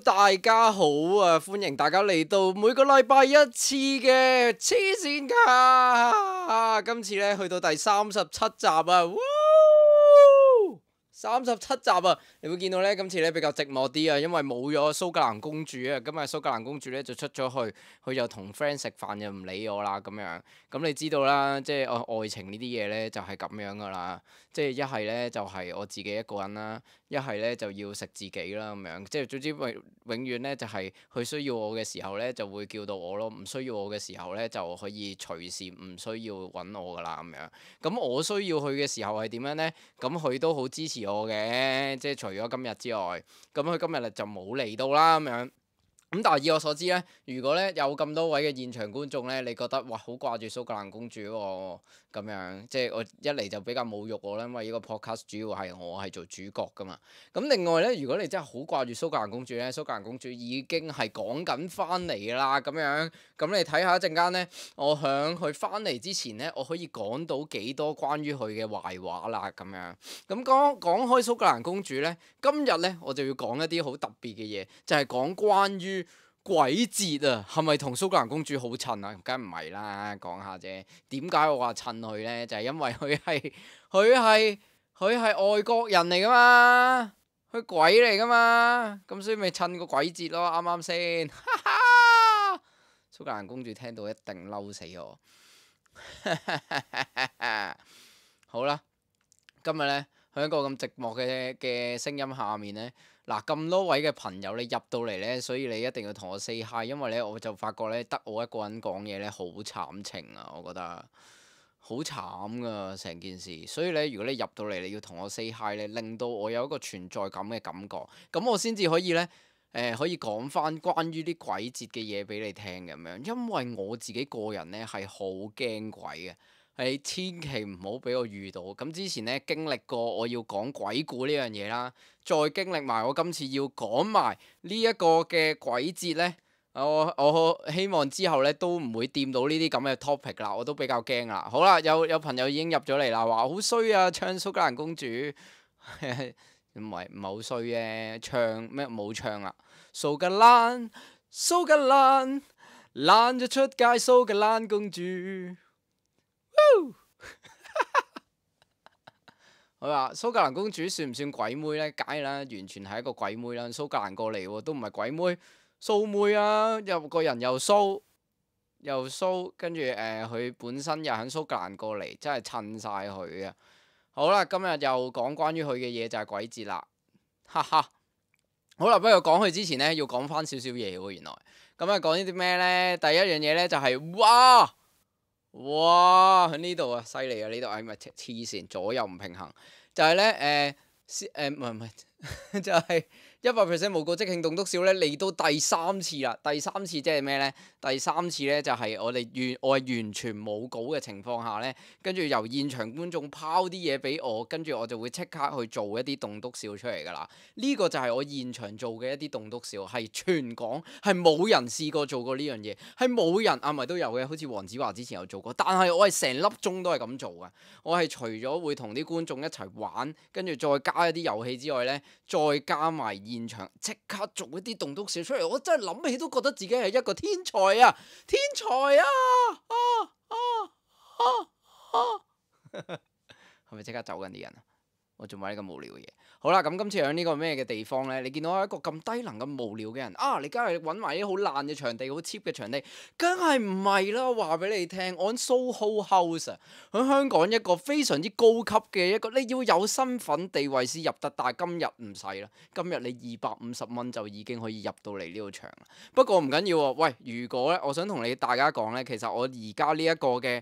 大家好啊！歡迎大家嚟到每個禮拜一次嘅黐線卡，今次咧去到第37集啊！37集啊！你會見到咧，今次咧比較寂寞啲啊，因為冇咗蘇格蘭公主啊。今日蘇格蘭公主咧就出咗去，佢就同 friend 食飯就唔理我啦咁樣。咁你知道啦，即係愛情呢啲嘢咧就係咁樣噶啦。即係一係咧就係我自己一個人啦，一係咧就要食自己啦咁樣。即係總之永遠咧就係佢需要我嘅時候咧就會叫到我咯，唔需要我嘅時候咧就可以隨時唔需要揾我噶啦咁樣。咁我需要佢嘅時候係點樣咧？咁佢都好支持我嘅，即係除咗今日之外，咁佢今日就冇嚟到啦咁樣。咁但係以我所知咧，如果咧有咁多位嘅現場觀眾咧，你覺得哇好掛住蘇格蘭公主喎，咁樣即係我一嚟就比較侮辱我啦，因為呢個 podcast 主要係我係做主角噶嘛。咁另外咧，如果你真係好掛住蘇格蘭公主咧，蘇格蘭公主已經係講緊翻嚟㗎啦，咁樣咁你睇下一陣間咧，我響佢翻嚟之前咧，我可以講到幾多關於佢嘅壞話啦，咁樣。咁講開蘇格蘭公主咧，今日咧我就要講一啲好特別嘅嘢，就係講關於鬼節啊，係咪同蘇格蘭公主好襯啊？梗唔係啦，講下啫。點解我話襯佢咧？就係因為佢係外國人嚟噶嘛，佢鬼嚟噶嘛，咁所以咪襯個鬼節咯，啱啱先？哈哈！蘇格蘭公主聽到一定嬲死我。好啦，今日咧喺一個咁寂寞嘅聲音下面咧。嗱，咁多位嘅朋友你入到嚟呢，所以你一定要同我 say hi，因為呢，我就發覺呢，得我一個人講嘢呢，好慘情啊，我覺得好慘噶成件事。所以呢，如果你入到嚟，你要同我 say hi 呢，令到我有一個存在感嘅感覺，咁我先至可以呢，可以講翻關於啲鬼節嘅嘢俾你聽咁樣。因為我自己個人呢，係好驚鬼嘅。係千祈唔好俾我遇到。咁之前咧經歷過我要講鬼故呢樣嘢啦，再經歷埋我今次要講埋呢一個嘅鬼節咧，我希望之後咧都唔會掂到呢啲咁嘅 topic 啦，我都比較驚啦。好啦，有朋友已經入咗嚟啦，話好衰啊，唱蘇格蘭公主，唔係好衰嘅，唱咩冇唱啦，蘇格蘭爛咗出街，蘇格蘭公主。佢話蘇格蘭公主算唔算鬼妹呢？梗係啦，完全係一個鬼妹啦。蘇格蘭過嚟喎，都唔係鬼妹，蘇妹啊！又個人又蘇，跟住佢本身又喺蘇格蘭過嚟，真係襯晒佢啊！好啦，今日又講關於佢嘅嘢就係鬼節啦，哈哈！好啦，不過講佢之前呢，要講翻少少嘢喎。原來咁啊，講呢啲咩呢？第一樣嘢呢，就係哇喺呢度啊，犀利啊！呢度係咪黐線，左右唔平衡，就係咧唔係就係100% 無稿即興棟篤笑咧，嚟到第三次啦。第三次即係咩咧？第三次咧就係我係完全冇稿嘅情況下咧，跟住由現場觀眾拋啲嘢俾我，跟住我就會即刻去做一啲棟篤笑出嚟㗎啦。呢個就係我現場做嘅一啲棟篤笑，係全港係冇人試過做過呢樣嘢，係冇人啊，咪都有嘅，好似黃子華之前有做過，但係我係成粒鐘都係咁做㗎。我係除咗會同啲觀眾一齊玩，跟住再加一啲遊戲之外咧，再加埋現場即刻做一啲棟篤笑出嚟，我真係諗起都覺得自己係一個天才啊！天才啊！係咪即刻走緊啲人啊？我做埋呢咁無聊嘅嘢。好啦，咁今次喺呢個咩嘅地方呢？你見到一個咁低能咁無聊嘅人啊！你梗係揾埋啲好爛嘅場地，好 cheap 嘅場地，梗係唔係啦？話俾你聽，我喺 Soho House 啊，喺香港一個非常之高級嘅一個，你要有身份地位先入得，但係今日唔使啦，今日你250蚊就已經可以入到嚟呢個場啦。不過唔緊要喎，喂，如果咧，我想同大家講呢，其實我而家呢一個嘅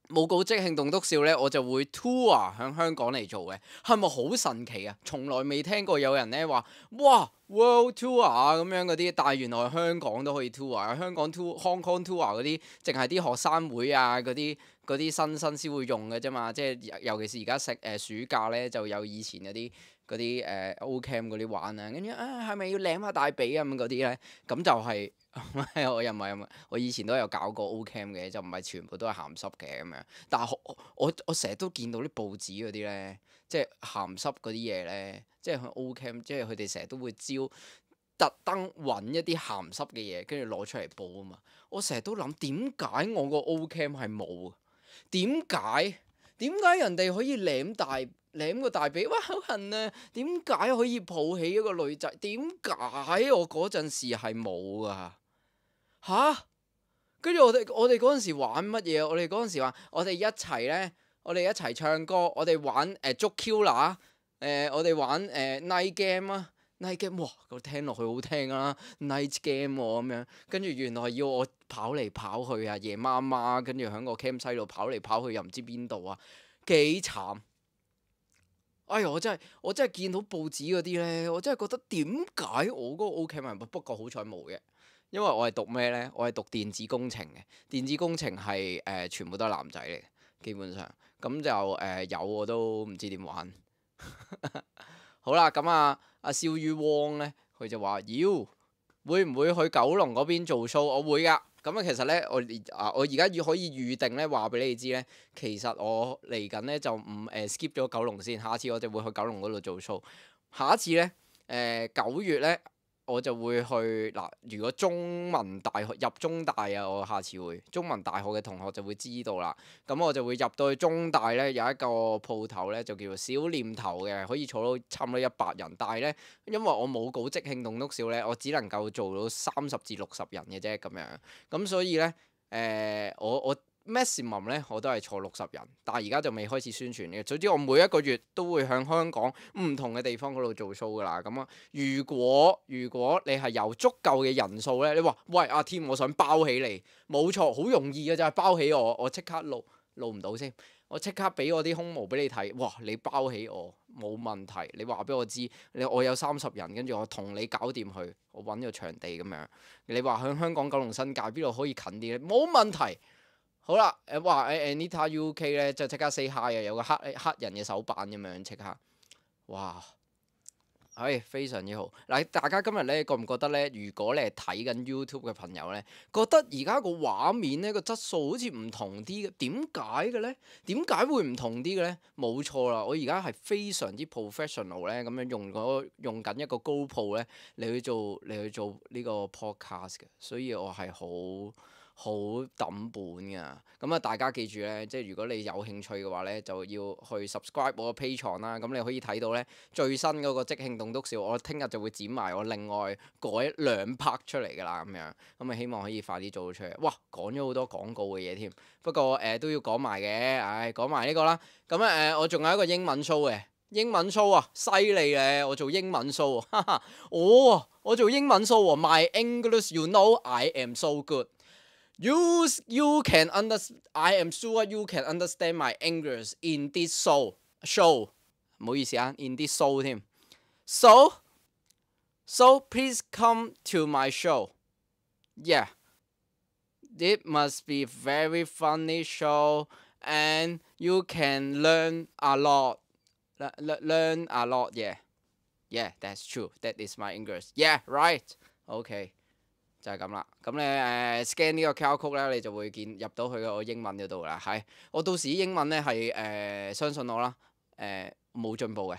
冇稿即興棟篤笑呢，我就會 tour 喺香港嚟做嘅，係咪好神奇啊？從來未聽過有人呢話，哇 World Tour 啊咁樣嗰啲，但係原來香港都可以 tour 啊！香港 Hong Kong Tour 嗰啲，淨係啲學生會啊嗰啲新先會用嘅啫嘛，即係尤其是而家暑假呢，就有以前嗰啲O-Camp 嗰啲玩啊，跟住係咪要舐下大髀啊咁嗰啲呢？咁就係。我又唔係，我以前都有搞過 O-Camp 嘅，就唔係全部都係鹹濕嘅咁樣。但係我成日都見到啲報紙嗰啲咧，即係鹹濕嗰啲嘢咧，即係去 O-Camp，即係佢哋成日都會招特登揾一啲鹹濕嘅嘢，跟住攞出嚟報啊嘛。我成日都諗點解我個 Ocam 係冇啊？點解？點解人哋可以舐個大髀？哇，好痕啊！點解可以抱起一個女仔？點解我嗰陣時係冇噶？吓？跟住我哋嗰陣時玩乜嘢？我哋嗰陣時話我哋一齊呢，我哋一齊唱歌，我哋玩捉 Q 乸，我哋玩night game 啊，night game 哇，我聽落去好聽啊，night game 喎咁樣，跟住原來要我跑嚟跑去啊，夜媽媽，跟住喺個 campsite 度跑嚟跑去又唔知邊度啊，幾慘！哎呀，我真係見到報紙嗰啲呢，我真係覺得點解我嗰個 Ocam 係冇？不過好彩冇嘅。因為我係讀咩呢？我係讀電子工程嘅。電子工程係全部都係男仔嚟嘅，基本上咁就有我都唔知點玩。好啦，咁阿肖於汪呢，佢就話要會唔會去九龍嗰邊做 show？我會㗎。咁其實呢，我而家可以預定呢話俾你知呢。其實我嚟緊呢就唔skip 咗九龍先，下次我就會去九龍嗰度做 show。下一次呢，9月呢。我就會去嗱，如果中文大學入中大啊，我下次會中文大學嘅同學就會知道啦。咁我就會入到去中大呢，有一個鋪頭呢，就叫做小念頭嘅，可以坐到差唔多100人。但係呢，因為我冇稿即興棟篤笑呢，我只能夠做到30至60人嘅啫咁樣。咁所以呢，我 maximum 呢，我都係坐60人，但係而家就未開始宣傳嘅。總之我每一個月都會向香港唔同嘅地方嗰度做 show 噶啦。咁啊，如果你係有足夠嘅人數呢，你話喂阿添，我想包起你，冇錯，好容易嘅就係包起我即刻錄唔到先，我即刻俾我啲胸毛俾你睇，哇！你包起我冇問題，你話俾我知，我有30人，跟住我同你搞掂佢，我揾個場地咁樣。你話喺香港九龍新界邊度可以近啲呢？冇問題。好啦，哇Anita UK 咧，就即刻 say hi 啊，有個黑人嘅手板咁樣即刻，哇，非常之好。嗱，大家今日咧覺唔覺得咧？如果你係睇緊 YouTube 嘅朋友咧，覺得而家個畫面咧個質素好似唔同啲嘅，點解嘅咧？點解會唔同啲嘅咧？冇錯啦，我而家係非常之 professional 咧，咁樣用緊一個 GoPro 咧嚟去做呢個 podcast 嘅，所以我係好抌本㗎。咁啊，大家記住咧，即係如果你有興趣嘅話咧，就要去 subscribe 我個 Patreon 啦。咁你可以睇到咧最新嗰個即興棟篤笑，我聽日就會剪埋我另外改2 part 出嚟㗎啦。咁樣咁啊，希望可以快啲做到出嚟。哇，講咗好多廣告嘅嘢添，不過都要講埋嘅。講埋呢個啦。咁我仲有一個英文 show 嘅。英文 show 啊，犀利咧！我做英文 show 哈哈，我做英文 show 喎。My English, you know, I am so good. You can understand. I am sure you can understand my English in this show. 唔好意思啊，in this show 添。So please come to my show. Yeah, it must be very funny show, and you can learn a lot. Learn a lot. Yeah, that's true. That is my English. Yeah, right. Okay. 就係咁啦，咁你scan 呢個 QR code 咧，你就會入到去個英文嗰度啦。係，我到時英文咧係相信我啦，冇進步嘅，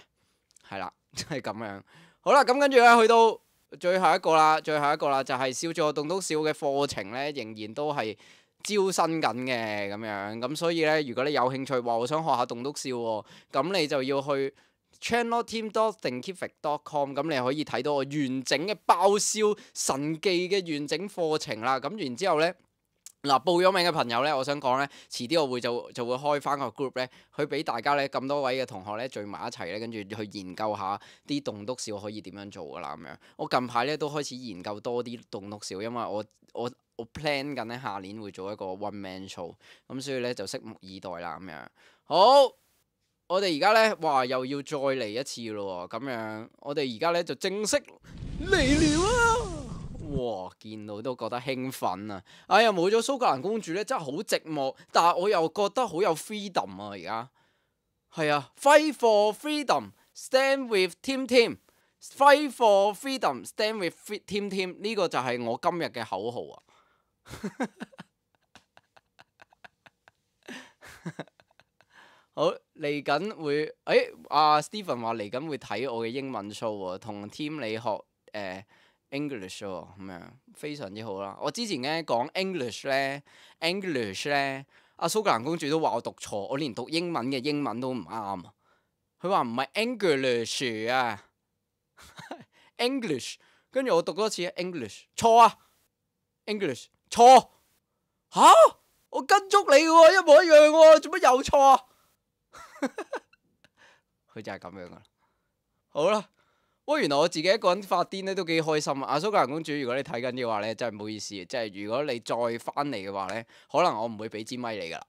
係啦，就係咁樣。好啦，咁跟住咧去到最後一個啦，就係笑住我棟篤笑嘅課程咧，仍然都係招新緊嘅咁樣。咁所以咧，如果你有興趣話我想學下棟篤笑喎，咁你就要去channelteam.thinkific.com， 咁你可以睇到我完整嘅爆笑神技嘅完整課程啦。咁然之後呢，嗱，報咗名嘅朋友呢，我想講呢，遲啲我會就會開翻個 group 呢，去俾大家呢咁多位嘅同學呢聚埋一齊呢，跟住去研究下啲棟篤笑可以點樣做噶啦咁樣。我近排呢都開始研究多啲棟篤笑，因為我 plan 緊呢下年會做一個 one man show，咁所以呢就拭目以待啦咁樣。好。我哋而家呢，哇，又要再嚟一次咯喎，咁樣我哋而家呢就正式嚟了啊！哇，見到都覺得興奮啊！哎呀，冇咗蘇格蘭公主呢，真係好寂寞，但係我又覺得好有 freedom 啊！而家係啊 ，Fight for freedom, stand with Tim Tim. Fight for freedom, stand with Tim Tim. 呢個就係我今日嘅口號啊！好，嚟緊會，Stephen 話嚟緊會睇我嘅英文 show 喎，同 Tim 你學 English 喎，咁樣非常之好啦。我之前咧講 English 咧，阿蘇格蘭公主都話我讀錯，我連讀英文嘅英文都唔啱啊。佢話唔係 English 啊，English，跟住我讀多次 English，錯啊，English 錯嚇，我跟足你喎，一模一樣喎，做乜又錯啊？佢就係咁樣噶啦。好啦。喂，原來我自己一個人發癲咧都幾開心啊！阿蘇格蘭公主，如果你睇緊嘅話咧，真係唔好意思，即係如果你再翻嚟嘅話咧，可能我唔會俾支咪你噶啦，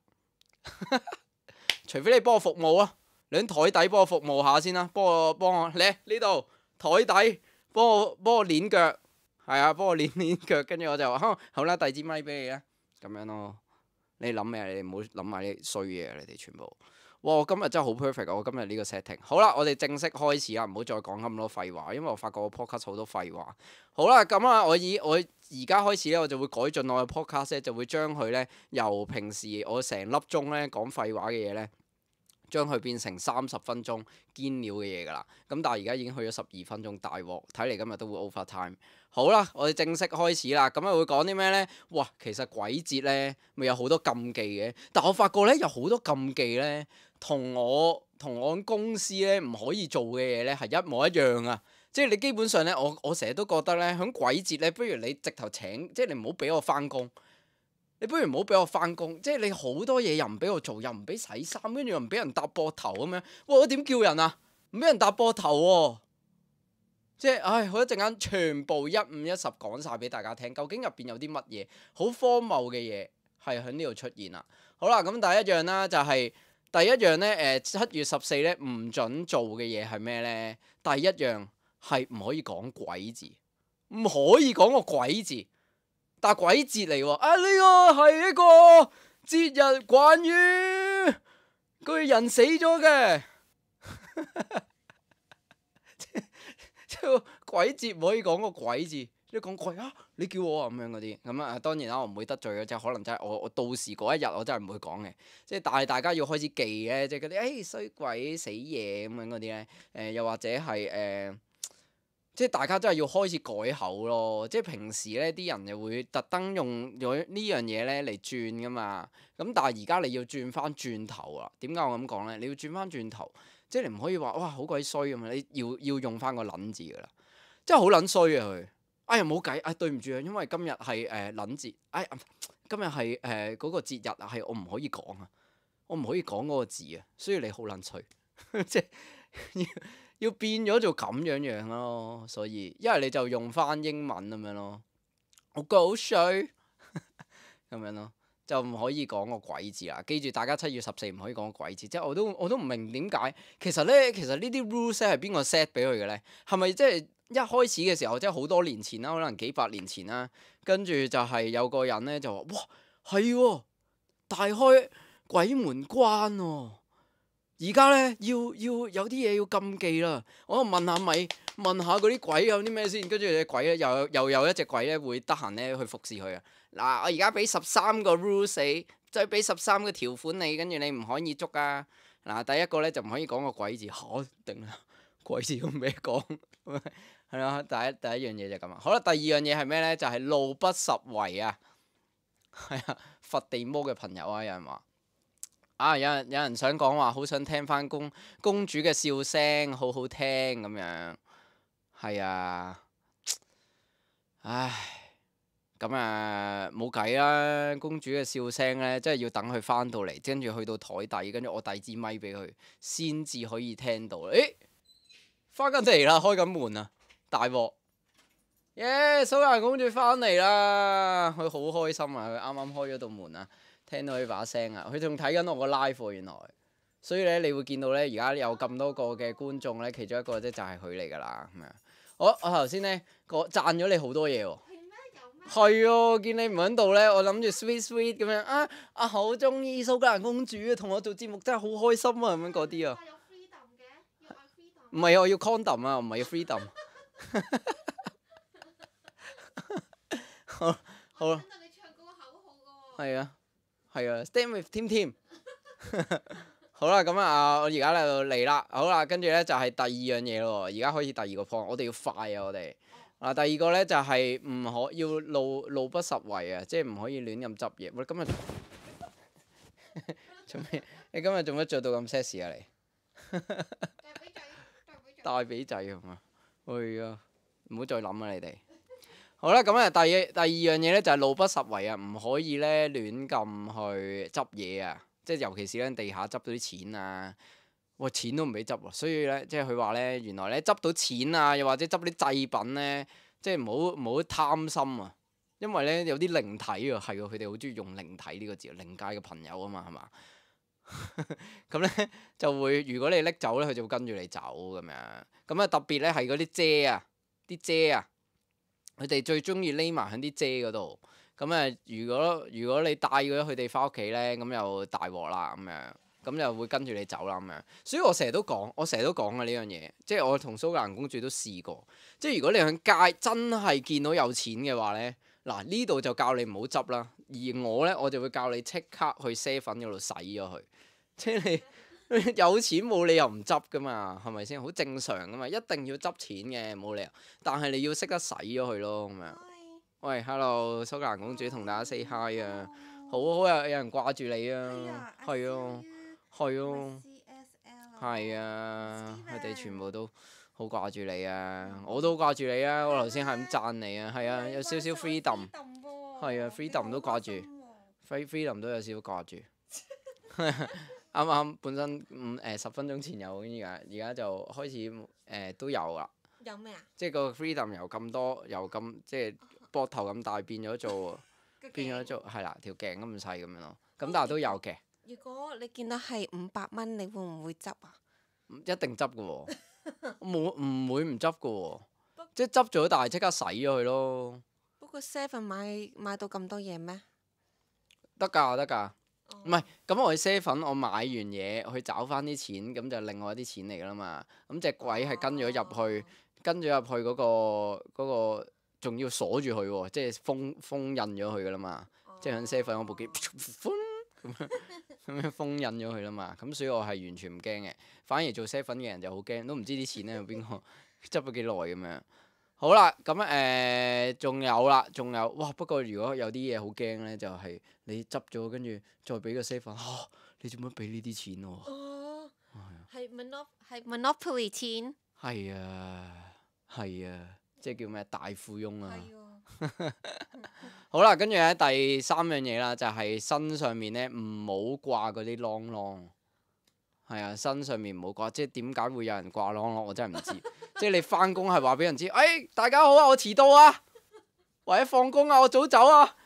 除非你幫我服務啊，你喺台底幫我服務下先啦，幫我嚟呢度台底幫我攣腳，係啊，幫我攣腳，跟住我就話好啦，遞支咪俾你啦，咁樣咯。你諗咩？你唔好諗埋啲衰嘢，你哋全部。哇！我今日真係好 perfect 啊！我今日呢個 setting。好啦，我哋正式開始啦，唔好再講咁多廢話，因為我發覺我 podcast 好多廢話。好啦，咁啊，我而家開始咧，我就會改進我嘅 podcast 咧，就會將佢咧由平時我成粒鐘咧講廢話嘅嘢咧，將佢變成30分鐘堅料嘅嘢㗎啦。咁但係而家已經去咗12分鐘，大鑊！睇嚟今日都會 over time。好啦，我哋正式開始啦。咁啊會講啲咩呢？哇，其實鬼節呢咪有好多禁忌嘅，但我發覺呢，有好多禁忌呢，同我公司呢唔可以做嘅嘢呢係一模一樣啊！即係你基本上呢，我成日都覺得呢，響鬼節呢，不如你直頭請，即係你唔好俾我翻工。你不如唔好俾我翻工，即係你好多嘢又唔俾我做，又唔俾洗衫，跟住又唔俾人搭膊頭咁樣。哇！我點叫人啊？唔俾人搭膊頭喎！即係，唉，我一陣間全部一五一十講晒俾大家聽，究竟入邊有啲乜嘢好荒謬嘅嘢係喺呢度出現啦。好啦，咁第一樣啦，就係第一樣呢。7月14呢唔準做嘅嘢係咩呢？第一樣係唔可以講鬼字，唔可以講個鬼字。但鬼節嚟喎，啊呢個係一個節日，關於個人死咗嘅。即係鬼節唔可以講個鬼字，你講鬼啊，你叫我啊咁樣嗰啲，咁啊當然啦，我唔會得罪嘅，即係可能真係我到時嗰一日我真係唔會講嘅，即係但係大家要開始記嘅，即係嗰啲衰鬼死嘢咁樣嗰啲咧，又或者係即係大家真係要開始改口咯，即係平時咧啲人又會特登用咗呢樣嘢咧嚟轉噶嘛，咁但係而家你要轉翻轉頭啦，點解我咁講咧？你要轉翻轉頭。即係你唔可以話哇好鬼衰咁啊！你要用翻個撚字噶啦，真係好撚衰啊佢！哎呀冇計，對唔住啊，因為今日係撚節，今日係嗰個節日啊，係我唔可以講啊，我唔可以講嗰個字啊，所以你好撚衰，即係要變咗做咁樣咯，所以一係你就用翻英文咁樣咯，我覺得好衰咁樣咯。就唔可以講個鬼字啦，記住大家7月14唔可以講個鬼字，即係我都唔明點解。其實呢啲 rules 係邊個 set 俾佢嘅呢？係咪即係一開始嘅時候，即係好多年前啦，可能幾百年前啦，跟住就係有個人呢，就話：哇，係喎，大開鬼門關喎！而家呢，要有啲嘢要禁忌啦。我問下嗰啲鬼有啲咩先，跟住隻鬼咧又有一隻鬼咧會得閒咧去服侍佢啊！嗱，我而家俾13個 rules 你，再俾13個條款你，跟住你唔可以捉啊！嗱，第一個咧就唔可以講個鬼字，嚇定啦，鬼字咁咩講？係啦，第一樣嘢就咁啊。好啦，第二樣嘢係咩咧？就係路不拾遺啊！係啊，佛地魔嘅朋友啊，有人話。有人想講話，好想聽翻公主嘅笑聲，好好聽咁樣。係啊，唉，咁啊冇計啦。公主嘅笑聲呢，真係要等佢翻到嚟，跟住去到台底，跟住我遞支咪俾佢，先至可以聽到。誒，翻緊嚟啦，開緊門啊，大鑊！耶，蘇格蘭公主翻嚟啦，佢好開心啊，佢啱啱開咗道門啊。聽到佢把聲啊！佢仲睇緊我個 live 喎，原來，所以咧你會見到咧，而家有咁多個嘅觀眾咧，其中一個咧就係佢嚟㗎啦，咁樣。我頭先咧讚咗你好多嘢喎。係啊，見你唔喺度咧，我諗住 sweet 咁樣啊！好中意蘇格蘭公主啊，同我做節目真係好開心啊，咁樣嗰啲啊。唔係啊，我要 condom 啊，唔係要 freedom。好啦。係啊。係啊 ，Stand with Tim。好啦，咁啊，我而家嚟啦，好啦，跟住咧就係第二樣嘢咯。而家開始第二個 point，我哋要快啊，我哋嗱，第二個咧就係唔可要路不拾遺啊，即係唔可以亂咁執嘢。喂，今日做咩？你今日做乜着到咁 sexy 啊你？大髀仔係嘛？係啊，唔好再諗啊你哋。好啦，咁啊第二樣嘢咧就係路不拾遺啊，唔可以咧亂咁去執嘢啊，即係尤其是咧地下執到啲錢啊。哇！錢都唔俾執喎，所以咧，即係佢話咧，原來咧執到錢啊，又或者執啲祭品咧，即係唔好貪心啊，因為咧有啲靈體啊，係喎，佢哋好中意用靈體呢個字，靈界嘅朋友啊嘛，係嘛？咁咧就會，如果你拎走咧，佢就會跟住你走咁樣。咁啊特別咧係嗰啲遮啊，啲遮啊，佢哋最中意匿埋喺啲遮嗰度。咁啊，如果你帶咗佢哋翻屋企咧，咁又大鑊啦咁樣。咁就會跟住你走啦咁樣，所以我成日都講嘅呢樣嘢，即係我同蘇格蘭公主都試過，即係如果你喺街真係見到有錢嘅話呢，嗱呢度就教你唔好執啦，而我呢，我就會教你即刻去 7嗰度洗咗佢，即係你有錢冇理由唔執噶嘛，係咪先？好正常噶嘛，一定要執錢嘅冇理由，但係你要識得洗咗佢咯咁樣。喂，hello，蘇格蘭公主同大家 say hi 啊，好有人掛住你啊，係啊。係啊，係啊，佢哋全部都好掛住你啊！我都掛住你啊！我頭先係咁讚你啊，係啊，有少少 freedom，係啊，freedom 都掛住，freedom 都有少少掛住。啱啱本身10分鐘前有，而家就開始都有啦。有咩啊？即係個 freedom 由咁多由咁即係膊頭咁大變咗做係啦條頸咁細咁樣咯。咁但係都有嘅。如果你見到係500蚊，你會唔會執啊？一定執嘅喎，唔會唔執嘅喎，即係執咗但係即刻洗咗佢咯。不過 Seven 買到咁多嘢咩？得㗎得㗎，唔係咁我去 7我買完嘢去找翻啲錢，咁就另外啲錢嚟㗎啦嘛。咁隻鬼係跟咗入去，嗰個仲要鎖住佢喎，即係封印咗佢㗎啦嘛。即係喺7嗰部機咁樣封印咗佢啦嘛，咁所以我係完全唔驚嘅，反而做 7嘅人就好驚，都唔知啲錢咧喺邊個執咗幾耐咁樣。好啦，咁仲有啦，仲有哇！不過如果有啲嘢好驚咧，就係你執咗跟住再俾個 7，你做乜俾呢啲錢我？哦，係 Monopoly 錢。係啊，係啊，即係叫咩大富翁啊！好啦，跟住咧第3樣嘢啦，就係身上面咧唔好掛嗰啲啷啷。係啊，身上面唔好掛，即係點解會有人掛啷啷？我真係唔知。即係你翻工係話俾人知，大家好啊，我遲到啊，或者放工啊，我早走啊。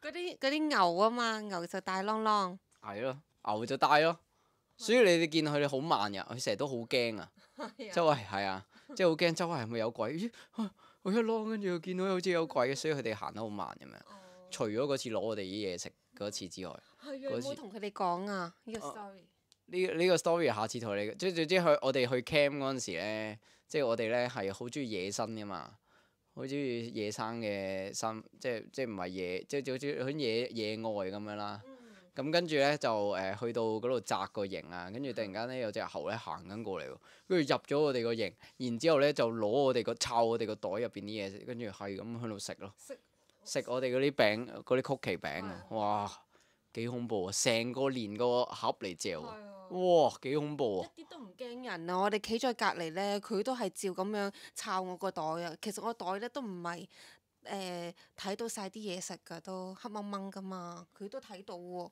嗰啲牛啊嘛，牛就大啷啷。係咯，牛就帶咯。所以你哋見佢哋好慢㗎，佢成日都好驚啊。周圍係啊，即係好驚周圍係咪有鬼？咦，我一啷跟住見到好似有鬼，所以佢哋行得好慢咁樣。除咗嗰次攞我哋啲嘢食嗰次之外，有冇同佢哋講啊？呢個 story。呢個 story 下次同你，即係總之我哋去 camp 嗰陣時咧，即係我哋咧係好中意野生噶嘛，好中意野生嘅生，即係唔係野，即係好似喺野外咁樣啦。咁跟住咧就去到嗰度紮個營啊，跟住突然間咧有隻猴咧行緊過嚟喎，跟住入咗我哋個營，然之後咧就攞我哋抄我哋個袋入邊啲嘢食，跟住係咁喺度食咯，食我哋嗰啲餅嗰啲曲奇餅啊，哇幾恐怖啊！成個連個盒嚟嚼啊！哇，幾恐怖啊！一啲都唔驚人啊！我哋企在隔離咧，佢都係照咁樣抄我個袋啊。其實我袋咧都唔係睇到晒啲嘢食㗎，都黑掹掹㗎嘛。佢都睇到喎。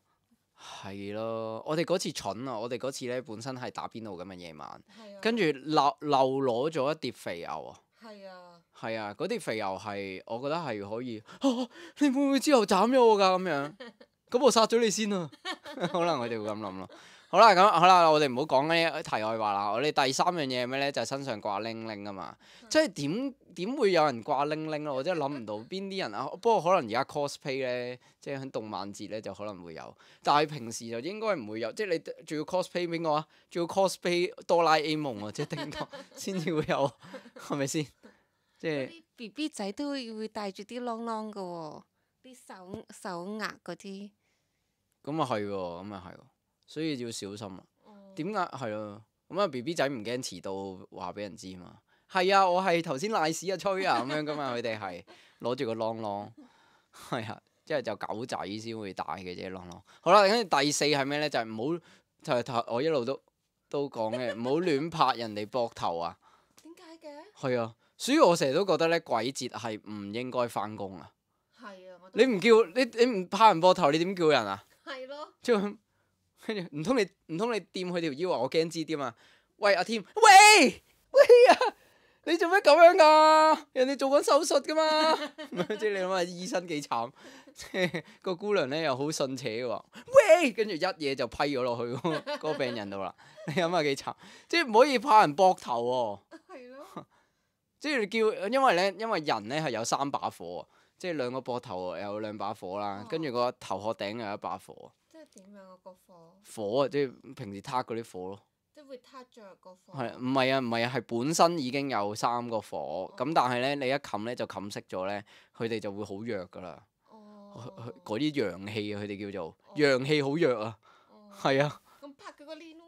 係咯，我哋嗰次蠢啊！我哋嗰次咧本身係打邊爐咁嘅夜晚，跟住漏攞咗一碟肥牛啊！係啊。係啊，嗰碟肥牛係我覺得係可以。你會唔會之後斬咗我㗎咁樣？咁我殺咗你先啊！可能佢哋會咁諗咯。好啦，我哋唔好講嗰啲題外話啦。我哋第3樣嘢係咩咧？就係身上掛鈴鈴啊嘛。即係點會有人掛鈴鈴咯？我真係諗唔到邊啲人啊。不過可能而家 cosplay 咧，即係喺動漫節咧就可能會有，但係平時就應該唔會有。即係你仲要 cosplay 邊個啊？仲要 cosplay 哆啦 A 夢啊，即係叮當先至會有，係咪先？即係啲 BB 仔都會帶住啲啷啷㗎喎，啲手額嗰啲。咁啊係喎，咁啊係喎。所以要小心啊！點解係咯？咁啊 BB 仔唔驚遲到話俾人知嘛？係啊，我係頭先賴屎啊吹啊咁樣噶嘛，佢哋係攞住個啷啷，係啊，即係就狗仔先會戴嘅啫啷啷。好啦，跟住第四係咩咧？就係唔好就係我一路都講嘅，唔好亂拍人哋膊頭啊。點解嘅？係啊，所以我成日都覺得咧，鬼節係唔應該翻工啊。係啊，我都你唔叫你唔拍人膊頭，你點叫人啊？係咯，即係跟住唔通你掂佢條腰啊？我驚知啲嘛。喂阿添，喂啊！你做咩咁樣噶？人哋做緊手術噶嘛。即係你諗下醫生幾慘，即係個姑娘咧又好順扯嘅喎。喂，跟住一嘢就批咗落去嗰個病人度啦。你諗下幾慘，即係唔可以拍人膊頭喎。係咯，即係叫，因為人咧係有三把火，即係兩個膊頭有兩把火啦，跟住個頭殼頂有一把火。即係點樣啊個火？火啊，即係平時撻嗰啲火咯。即係會撻着個火。係唔係啊？唔係啊，係本身已經有三個火，咁但係咧你一冚咧就冚熄咗咧，佢哋就會好弱噶啦。哦。嗰啲陽氣啊，佢哋叫做陽氣好弱啊。係啊。咁拍佢個鏈咯。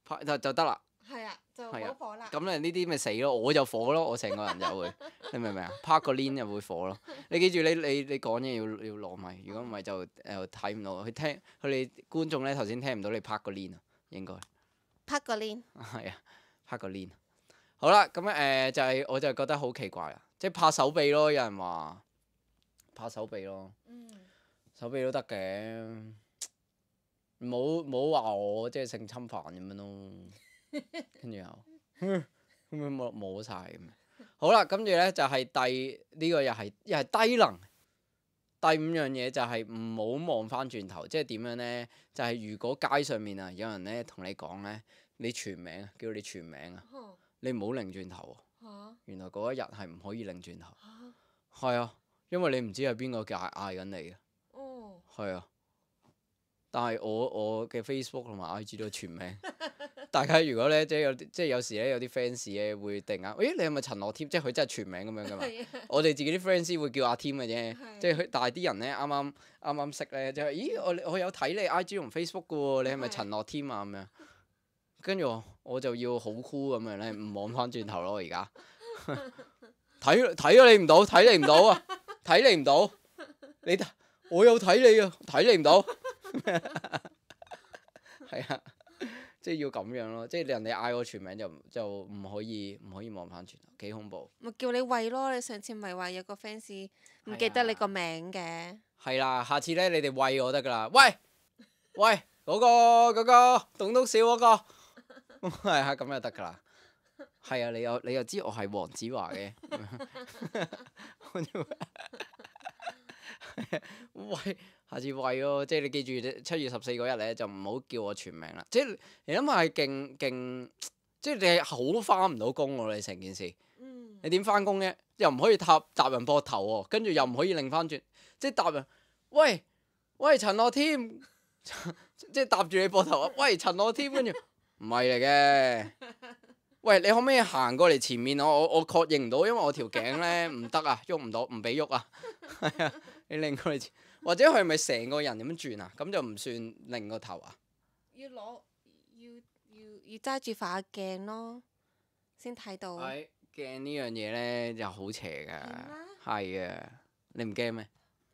拍就得啦。係啊，就係啊冇火啦。咁咧呢啲咪死咯，我就火咯，我成個人就會，你明唔明啊？拍個鏈就會火咯。你記住你講嘢要攞咪，如果唔係就睇唔到。佢哋觀眾咧頭先聽唔到你拍個鏈啊，應該。拍個鏈。係啊，拍個鏈。好啦，咁就係我就覺得好奇怪啦，即係拍手臂咯，有人話拍手臂咯，手臂都得嘅，冇話我即係性侵犯咁樣咯，跟住又咁樣摸晒咁樣。好啦，跟住咧就係呢個又係低能。第五樣嘢就係唔好望翻轉頭，即係點樣咧？就係如果街上面啊有人咧同你講咧，你全名啊，叫你全名啊，你唔好擰轉頭喎。原來嗰一日係唔可以擰轉頭。係啊，因為你唔知係邊個嗌緊你嘅。係啊，但係我嘅 Facebook 同埋 IG 都係全名。大家如果咧即係有時咧有啲 fans 咧會突然間，咦你係咪陳樂添？即係佢真係全名咁樣噶嘛？我哋自己啲 fans 先會叫阿添嘅啫，即係但係啲人咧啱啱識咧，就係咦我有睇你 IG 同 Facebook 嘅喎，你係咪陳樂添啊咁樣？跟住我就要好 cool 咁樣咧，唔望翻轉頭咯而家。睇咗你唔到，睇你唔到啊，睇你唔到，我有睇你啊，睇你唔到。係啊。即係要咁樣咯，即係人哋嗌我全名就唔可以望翻轉頭，幾恐怖。咪叫你喂咯！你上次咪話有個 fans 唔記得你個名嘅。係啦，下次咧你哋喂我得㗎啦，喂嗰個棟篤笑嗰個，係啊咁就得㗎啦。係啊，你又知我係黃子華嘅。喂。下次喂咯，即係你記住7月14嗰日咧，就唔好叫我全名啦。即係你諗下係勁，即係你係好翻唔到工喎，你成件事。你點翻工啫？又唔可以搭人膊頭喎，跟住又唔可以擰翻轉，即係搭人。喂陳樂添，即係搭住你膊頭啊！喂陳樂添，跟住唔係嚟嘅。喂，你可唔可以行過嚟前面？我確認唔到，因為我條頸咧唔得啊，喐唔到，唔俾喐啊。係啊，你擰過嚟前。或者佢係咪成個人咁樣轉啊？咁就唔算擰個頭啊？要揸住塊鏡咯，先睇到。係鏡呢樣嘢咧，又好邪㗎。係啊，你唔驚咩？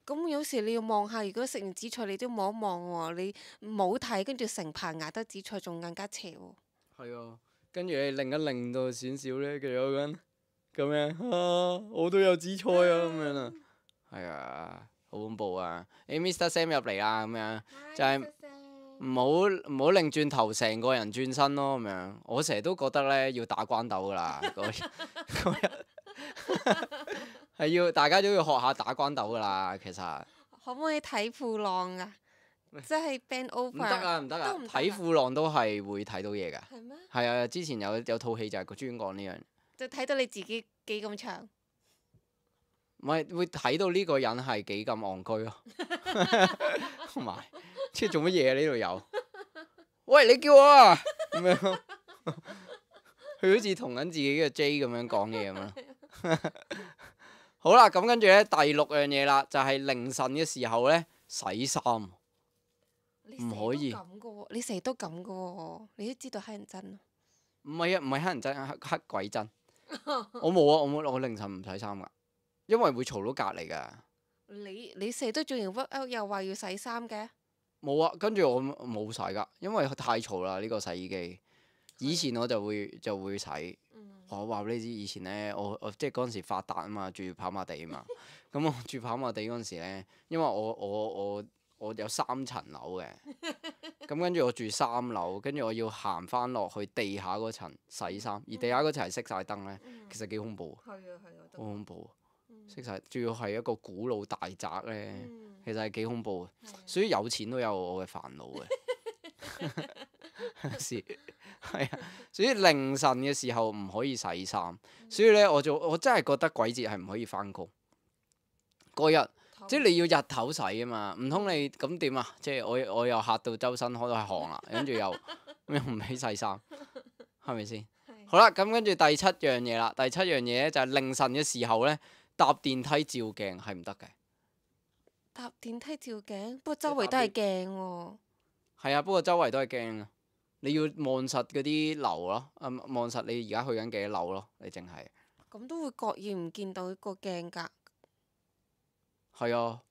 咁有時你要望下，如果食完紫菜你都望一望喎，你冇睇跟住成排牙得紫菜，仲更加邪喎。係啊，跟住你擰一擰到少少咧，佢有個人咁樣啊，我都有紫菜啊咁樣啊，係啊。好恐怖啊！Mr. Sam 入嚟啦，咁樣就係唔好擰轉頭，成個人轉身咯，咁樣。我成日都覺得咧要打關鬥噶啦，嗰日係要大家都要學下打關鬥噶啦，其實。可唔可以睇褲浪啊？即係 bend over。唔得啊！睇褲浪都係會睇到嘢㗎。係咩？係啊，之前有套戲就係專講呢樣。就睇到你自己幾咁長。唔係會睇到呢個人係幾咁戇居咯，同埋即係做乜嘢啊？呢度有，喂你叫我啊咁樣，佢好似同緊自己嘅 J 咁樣講嘢咁咯。好啦，咁跟住咧第6樣嘢啦，就係凌晨嘅時候咧洗衫，唔可以。你成日都咁嘅喎，你都知道乞人憎。唔係啊，唔係黑人憎，黑鬼憎。我冇啊，我凌晨唔洗衫㗎，因為會嘈到隔離㗎。你成日都做完 workout 又話要洗衫嘅？冇啊，跟住我冇洗㗎，因為太嘈啦呢個洗衣機。以前我就會洗。我話俾你知，以前咧我即係嗰陣時發達啊嘛，住跑馬地啊嘛。咁我住跑馬地嗰陣時咧，因為我有3層樓嘅，咁跟住我住3樓，跟住我要行翻落去地下嗰層洗衫，而地下嗰層係熄晒燈咧，其實幾恐怖。係啊，好恐怖。熄晒，仲要係一個古老大宅咧，其實係幾恐怖嘅。所以有錢都有我嘅煩惱嘅。是，係啊。所以凌晨嘅時候唔可以洗衫，所以咧我真係覺得鬼節係唔可以翻工嗰日，即係你要日頭洗啊嘛，唔通你咁點啊？即係我又嚇到周身開都係汗啦，跟住又唔起洗衫，係咪先？好啦，咁跟住第7樣嘢啦，第7樣嘢咧就係凌晨嘅時候咧，搭電梯照鏡係唔得嘅。搭電梯照鏡，不過周圍都係鏡喎。係啊，不過周圍都係鏡啊，你要望實嗰啲樓咯，望實你而家去緊幾多樓咯，你淨係。咁都會覺意唔見到個鏡㗎。係啊，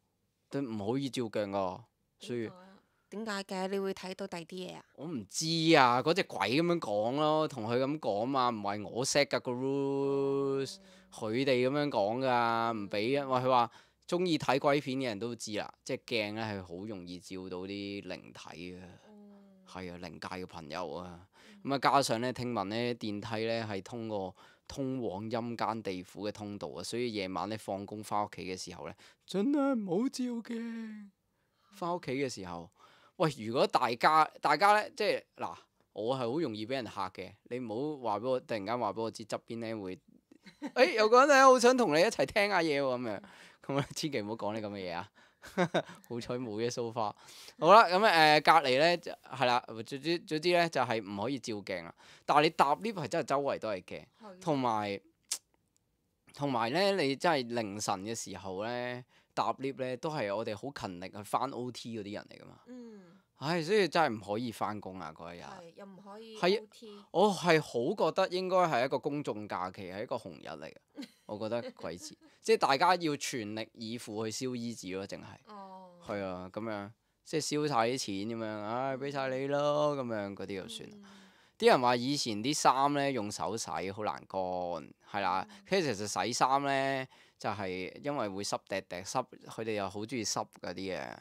都唔可以照鏡噶，所以。點解嘅？你會睇到第啲嘢啊？我唔知啊，嗰隻鬼咁樣講咯，同佢咁講嘛，唔係我 set 㗎個 rules，佢哋咁樣講㗎，唔俾啊。佢話中意睇鬼片嘅人都知啦，即係鏡咧係好容易照到啲靈體嘅，係啊，靈界嘅朋友啊。咁啊，加上咧聽聞咧電梯咧係通過通往陰間地府嘅通道啊，所以夜晚咧放工翻屋企嘅時候咧，盡量唔好照鏡。翻屋企嘅時候。喂，如果大家咧，即係嗱，我係好容易俾人嚇嘅。你唔好話俾我，突然間話俾我知側邊咧會，有個人咧好想同你一齊聽下嘢喎咁樣，咁啊千祈唔好講呢咁嘅嘢啊！好彩冇嘅 so far。好啦，咁隔離咧係啦，總之咧就係唔可以照鏡啦。但係你搭 lift 係真係周圍都係鏡，同埋咧你真係凌晨嘅時候咧。搭 lift 咧都係我哋好勤力去翻 OT 嗰啲人嚟噶嘛，唉，所以真係唔可以翻工啊嗰一日，又唔可以 OT。我係好覺得應該係一個公眾假期，係一個紅日嚟嘅。我覺得鬼節，即係大家要全力以赴去燒衣紙咯，淨係，係啊咁樣，即係燒晒啲錢咁樣，唉俾晒你咯咁樣嗰啲就算啦。啲人話以前啲衫咧用手洗好難乾，係啦，其實洗衫咧。就係因為會濕滴滴濕，佢哋又好中意濕嗰啲嘅，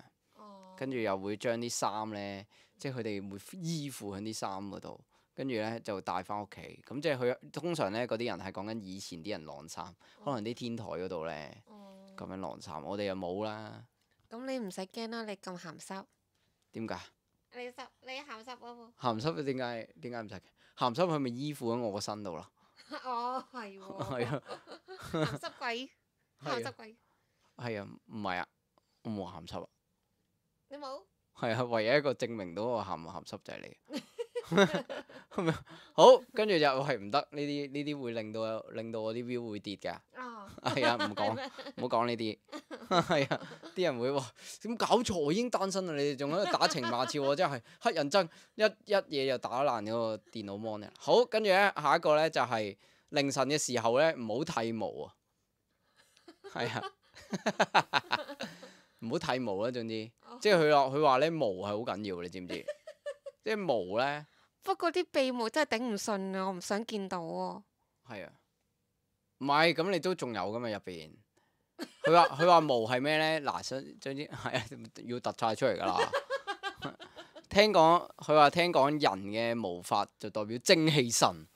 跟住又會將啲衫咧，即係佢哋會依附喺啲衫嗰度，跟住咧就帶翻屋企。咁即係佢通常咧嗰啲人係講緊以前啲人晾衫，可能啲天台嗰度咧咁樣晾衫，我哋又冇啦。咁你唔使驚啦，你咁鹹濕。點解？你鹹濕啊喎！鹹濕點解唔使？鹹濕佢咪依附喺我個身度咯？哦，係喎。係啊。鹹濕鬼。鹹濕鬼。係啊，唔係啊，我冇鹹濕啊。你冇？係啊，唯一一個證明到我鹹唔鹹濕就係你。好，跟住就係唔得，呢啲會令到我啲 view 會跌㗎。係啊，唔好講呢啲。係啊，啲人會話點搞錯？我已經單身啦，你哋仲喺度打情罵俏，我真係乞人憎，一嘢就打爛嗰個電腦 mon 啊！好，跟住咧下一個咧就係凌晨嘅時候咧，唔好剃毛啊！係啊，唔好剃毛啦，總之，即係佢話咧毛係好緊要，你知唔知？即係毛咧。不過啲鼻毛真係頂唔順啊！我唔想見到喎。係啊，唔係咁你都仲有噶嘛入邊？佢話毛係咩咧？嗱，總之係啊，要突晒出嚟噶啦。聽講人嘅毛髮就代表精氣神，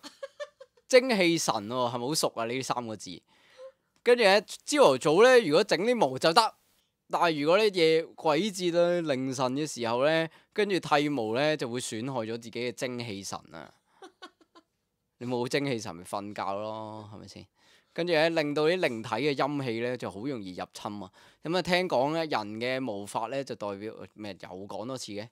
精氣神喎，係咪好熟啊？呢3個字。跟住咧，朝頭早咧，如果整啲毛就得，但係如果咧夜鬼節咧凌晨嘅時候咧，跟住剃毛咧就會損害咗自己嘅精氣神啊！你冇精氣神咪瞓覺咯，係咪先？跟住咧令到啲靈體嘅陰氣咧就好容易入侵啊！咁啊聽講咧人嘅毛髮咧就代表咩？又講多次嘅，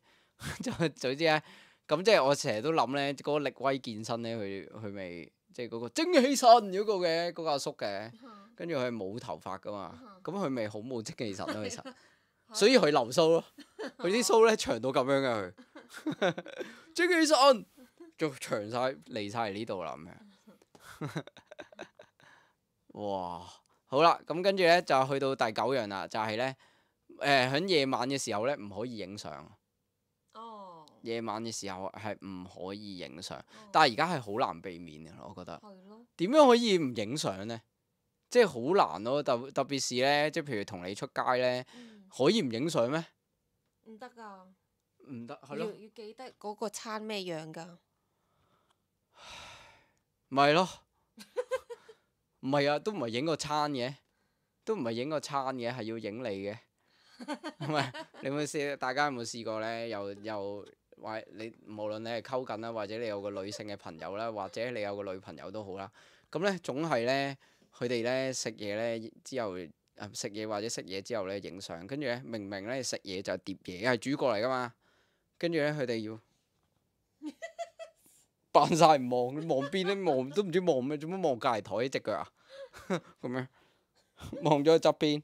總之咧，咁即係我成日都諗咧，嗰個力威健身咧，佢咪即係嗰個精氣神嗰個嘅嗰個阿叔嘅。跟住佢係冇頭髮噶嘛，咁佢咪好冇精氣神咯，其實，所以佢留鬚咯，佢啲鬚咧長到咁樣嘅佢，精氣神，就長晒嚟晒嚟呢度啦咁樣。哇！好啦，咁跟住咧就去到第9樣啦，就係咧喺夜晚嘅時候咧唔可以影相。哦。夜晚嘅時候係唔可以影相，但係而家係好難避免嘅，我覺得。係咯。點樣可以唔影相呢？即係好難咯，特別是咧，即係譬如同你出街咧，可以唔影相咩？唔得㗎。唔得，係咯。要記得嗰個餐咩樣㗎？咪咯，唔係啊，都唔係影個餐嘅，都唔係影個餐嘅，係要影你嘅。唔係，你有冇試？大家有冇試過咧？又或你無論你係溝緊啦，或者你有個女性嘅朋友啦，或者你有個女朋友都好啦。咁咧總係咧，佢哋咧食嘢咧之後，食嘢或者食嘢之後咧影相，跟住咧明明咧食嘢就係碟嘢，係主角嚟噶嘛。跟住咧佢哋要扮晒唔望，望邊咧望都唔知望咩，做乜望隔離台隻腳啊？咁樣望咗側邊，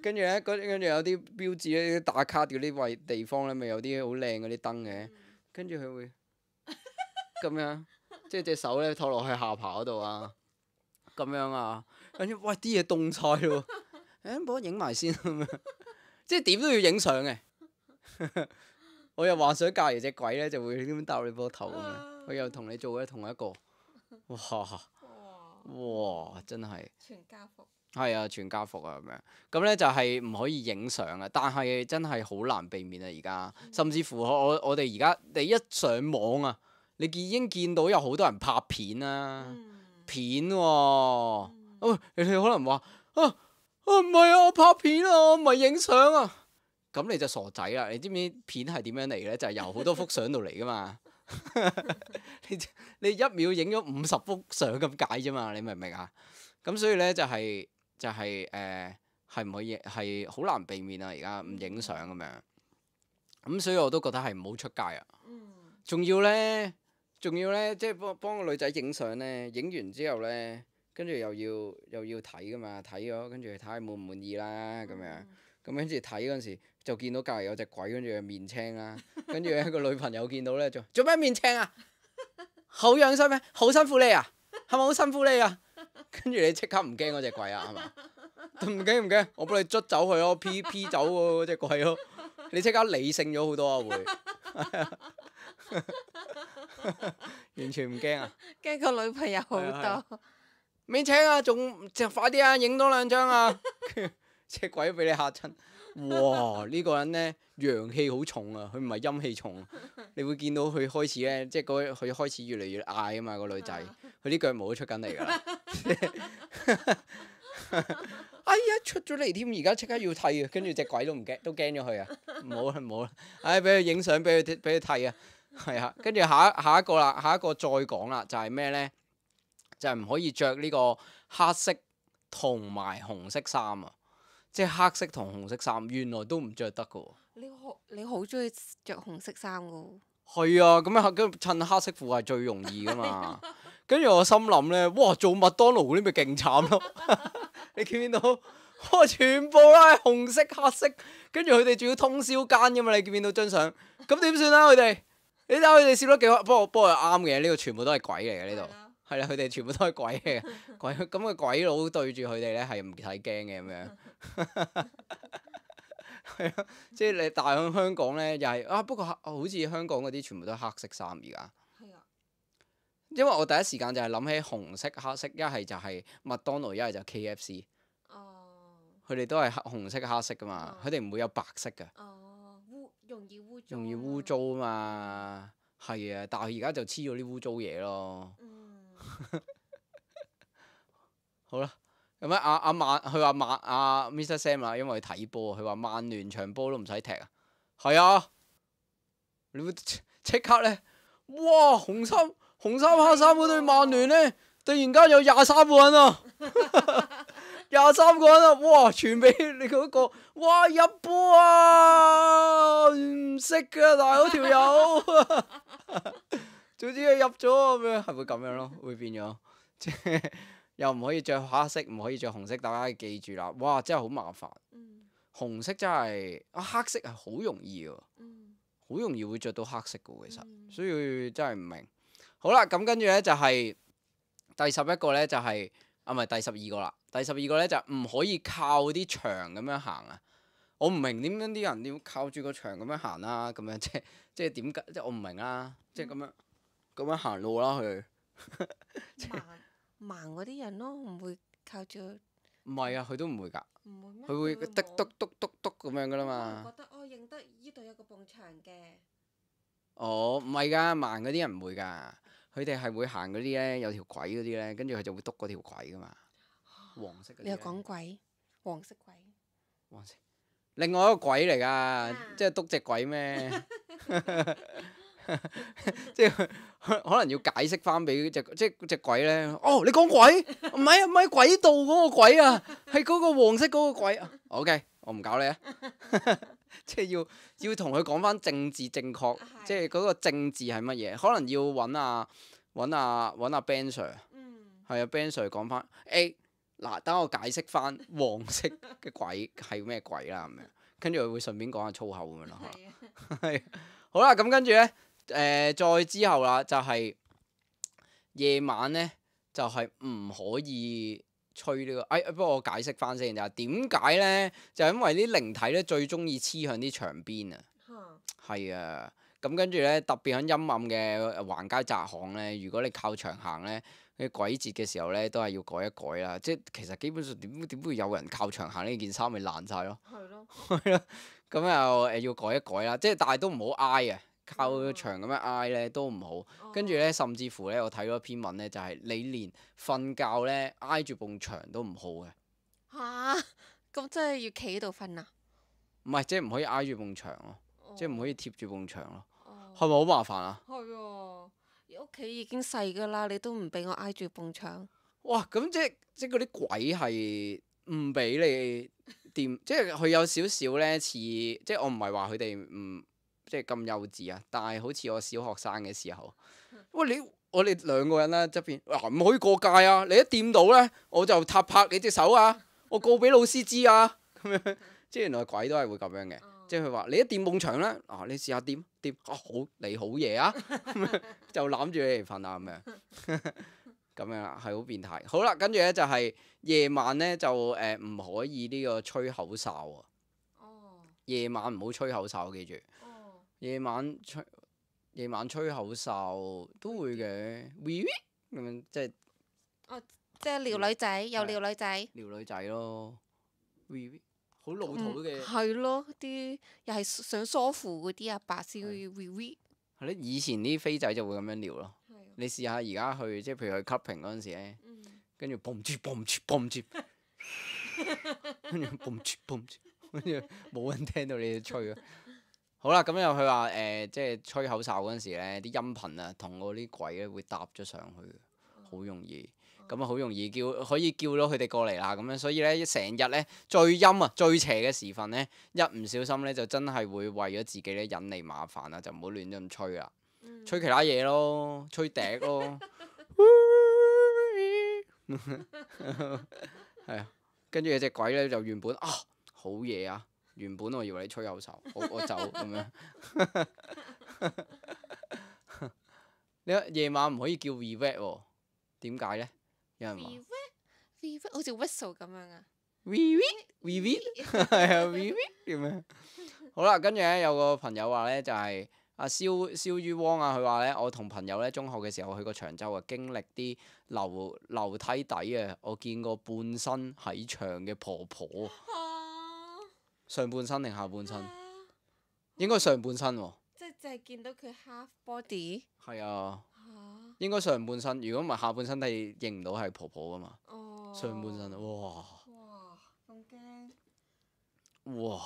跟住咧，跟住有啲標誌咧，打卡嗰啲位地方咧，咪有啲好靚嗰啲燈嘅。跟住佢會咁樣，即係隻手咧托落去下巴嗰度啊，咁樣啊。跟住喂啲嘢凍晒咯，誒幫我影埋先咁樣，即係點都要影相嘅。我又幻想隔離隻鬼咧就會咁樣搭你膊頭咁樣，佢又同你做嘅同一個，哇真係全家福。係啊，全家福啊咁樣。咁咧就係唔可以影相啊，但係真係好難避免啊而家。甚至乎我哋而家你一上網啊，你已經見到有好多人拍片啦，片喎。你哋可能話唔係啊，我拍片啊，我唔係影相啊。咁你就傻仔啦！你知唔知片係點樣嚟嘅咧？就係由好多幅相度嚟噶嘛。你1秒影咗50幅相咁解啫嘛，你明唔明啊？咁所以咧就係唔可以，係好難避免啊！而家唔影相咁樣，咁所以我都覺得係唔好出街啊。仲要咧，即係幫個女仔影相咧，影完之後咧，跟住又要睇噶嘛，睇咗跟住睇下滿唔滿意啦咁樣。咁跟住睇嗰陣時就見到隔離有隻鬼，跟住面青啦。跟住咧個女朋友見到咧就做咩面青啊？好樣衰咩？好辛苦你啊？係咪好辛苦你啊？跟住你即刻唔驚嗰隻鬼啊？係嘛？唔驚，我幫你捽走佢咯，P 走嗰隻鬼咯。你即刻理性咗好多啊會，完全唔驚啊！驚個女朋友好多。面青啊，仲快啲啊，影多2張啊！隻鬼都俾你嚇親。哇！呢個人咧陽氣好重啊，佢唔係陰氣重。你會見到佢開始咧，即係佢開始越嚟越嗌啊嘛，個女仔，佢啲腳毛都出緊嚟㗎啦。哎呀，出咗嚟添，而家即刻要剃啊！跟住隻鬼都唔驚，都驚咗佢啊！唔好啦，唉，俾佢影相，俾佢剃啊！係啊，跟住下一個啦，下一個再講啦，就係咩咧？就係唔可以着呢個黑色同埋紅色衫啊！即係黑色同紅色衫，原來都唔着得㗎喎。你好中意着紅色衫㗎喎。係啊，咁襯黑色褲係最容易㗎嘛。跟住我心諗咧，哇！做麥當勞嗰啲咪勁慘咯。你見唔見到？哇！全部都係紅色、黑色，跟住佢哋仲要通宵更㗎嘛？你見唔見到張相？咁點算啊？佢哋，你睇下佢哋笑得幾開。不過又啱嘅，呢個全部都係鬼嚟嘅呢度。係啦，佢哋全部都係鬼嚟嘅，咁個鬼佬對住佢哋咧係唔使驚嘅咁樣。係啊，即係你大喺香港咧又係啊，不過好似香港嗰啲全部都係黑色衫而家。係啊。因為我第一時間就係諗起紅色、黑色，一係就係麥當勞，一係就 KFC。佢哋都係紅色、黑色噶嘛，佢哋唔會有白色噶。容易污糟啊嘛，係啊，但係而家就黐咗啲污糟嘢咯。好啦，咁佢話Mr. Sam 啊，因為佢睇波，佢話曼聯場波都唔使踢啊。係啊，你會即刻咧，哇！紅衫黑衫嗰隊曼聯咧，突然間有23個人啊！23個人啊！哇！傳俾你嗰個，哇！入波啊！唔識㗎，大佬條友，總之佢入咗咁樣，係會咁樣咯，會變咗，即係又唔可以着黑色，唔可以着紅色，大家記住啦！哇！真係好麻煩。紅色真係黑色係好容易㗎，好容易會着到黑色嘅喎，其實，嗯所以真係唔明。好啦，咁跟住咧就係、第11個咧就係、啊唔係第12個啦，第12個咧就唔可以靠啲牆咁樣行啊！我唔明點樣啲人要靠住個牆咁樣行啦，咁樣即係點解？即係我唔明啦，即係咁樣行路啦佢。盲嗰啲人咯，唔會靠住。唔係啊，佢都唔會㗎，唔會咩？佢會滴篤篤篤篤咁樣㗎啦可能嘛。覺得認得呢度有個埲牆嘅。哦，唔係㗎，盲嗰啲人唔會㗎，佢哋係會行嗰啲咧，有條軌嗰啲咧，跟住佢就會篤嗰條軌㗎嘛，黃色嗰啲你又呢。講鬼，黃色鬼。黃色。另外一個鬼嚟㗎，即係篤隻鬼咩？即係可能要解釋翻俾隻鬼咧。哦，你講鬼？唔係啊，唔係軌道嗰個鬼啊，係嗰個黃色嗰個鬼啊。OK，我唔搞你啊。即係要同佢講翻政治正確，即係嗰個政治係乜嘢？可能要揾阿 Ben Sir，係啊 Ben Sir 講翻。嗱，等我解釋翻黃色嘅鬼係咩鬼啦咁樣，跟住佢會順便講下粗口咁樣咯。係好啦，咁跟住咧，再之後啦，就係、夜晚咧，就係、唔可以吹呢、個。不過我解釋翻先，就係點解咧？就係因為啲靈體咧最中意黐向啲牆邊啊。係啊，咁跟住咧，特別喺陰暗嘅橫街窄巷咧，如果你靠牆行咧，啲鬼節嘅時候咧，都係要改一改啦。即係其實基本上點會有人靠牆行呢件衫咪爛晒咯。係咯。係咯，咁又要改一改啦。即係但係都唔好挨啊，靠牆咁樣挨咧都唔好。跟住咧，甚至乎咧，我睇咗篇文咧，就係、你連瞓覺咧挨住埲牆都唔好嘅。嚇！咁真係要企喺度瞓啊？唔係，即係唔可以挨住埲牆咯，即係唔可以以。貼住埲牆咯。係咪好麻煩啊？係喎，屋企已經細㗎啦，你都唔俾我挨住埲牆。哇！咁即係嗰啲鬼係唔俾你掂，即係佢有少少咧似，即係我唔係話佢哋唔即係咁幼稚啊，但係好似我小學生嘅時候，喂我哋兩個人啦側邊，唔可以過界啊！你一掂到咧，我就拍你隻手啊！我告俾老師知啊！咁樣，即係原來鬼都係會咁樣嘅。即係佢話你一掂埲牆咧，你試下掂好你好嘢啊！就攬住你嚟瞓啊咁樣，咁樣啦，係好變態。好啦，跟住咧就係、夜晚咧就唔可以呢個吹口哨啊。夜晚唔好吹口哨，記住。夜晚吹口哨都會嘅，wee wee 咁樣即係即係撩女仔，又撩女仔。撩女仔咯，wee wee 好老土嘅。係咯，啲又係想梳乎嗰啲阿伯先會 wee 係咧，以前啲飛仔就會咁樣撩咯。你試下而家去，即係譬如去 clubbing 嗰陣時咧，跟住 boom 住 boom 住 boom 住，跟住 boom 住 boom 住，跟住冇人聽到你哋吹啊！好啦，咁又佢話即係吹口哨嗰陣時咧，啲音頻啊，同嗰啲鬼咧會搭咗上去，好容易。咁啊，好容易可以叫到佢哋過嚟啦。咁樣，所以咧成日咧最陰啊、最邪嘅時分咧，一唔小心咧就真係會為咗自己咧引嚟麻煩啊，就唔好亂咁吹啦。吹其他嘢咯，吹笛咯。係啊，跟住有隻鬼咧就原本好嘢啊！原本我以為你吹口哨，我走咁樣。你夜晚唔可以叫 revet 喎？點解咧？有人話 wee 好似 whistle 咁樣啊。revet 係啊 revet 點樣？好啦，跟住咧有個朋友話咧就係、阿燒於汪啊，佢話咧我同朋友咧中學嘅時候去過長洲啊，經歷啲樓梯底啊，我見過半身喺牆嘅婆婆。上半身定下半身？應該上半身喎。即係淨係見到佢 half body。係啊。應該上半身，如果唔係下半身，係認唔到係婆婆噶嘛。上半身，哇！咁驚！哇！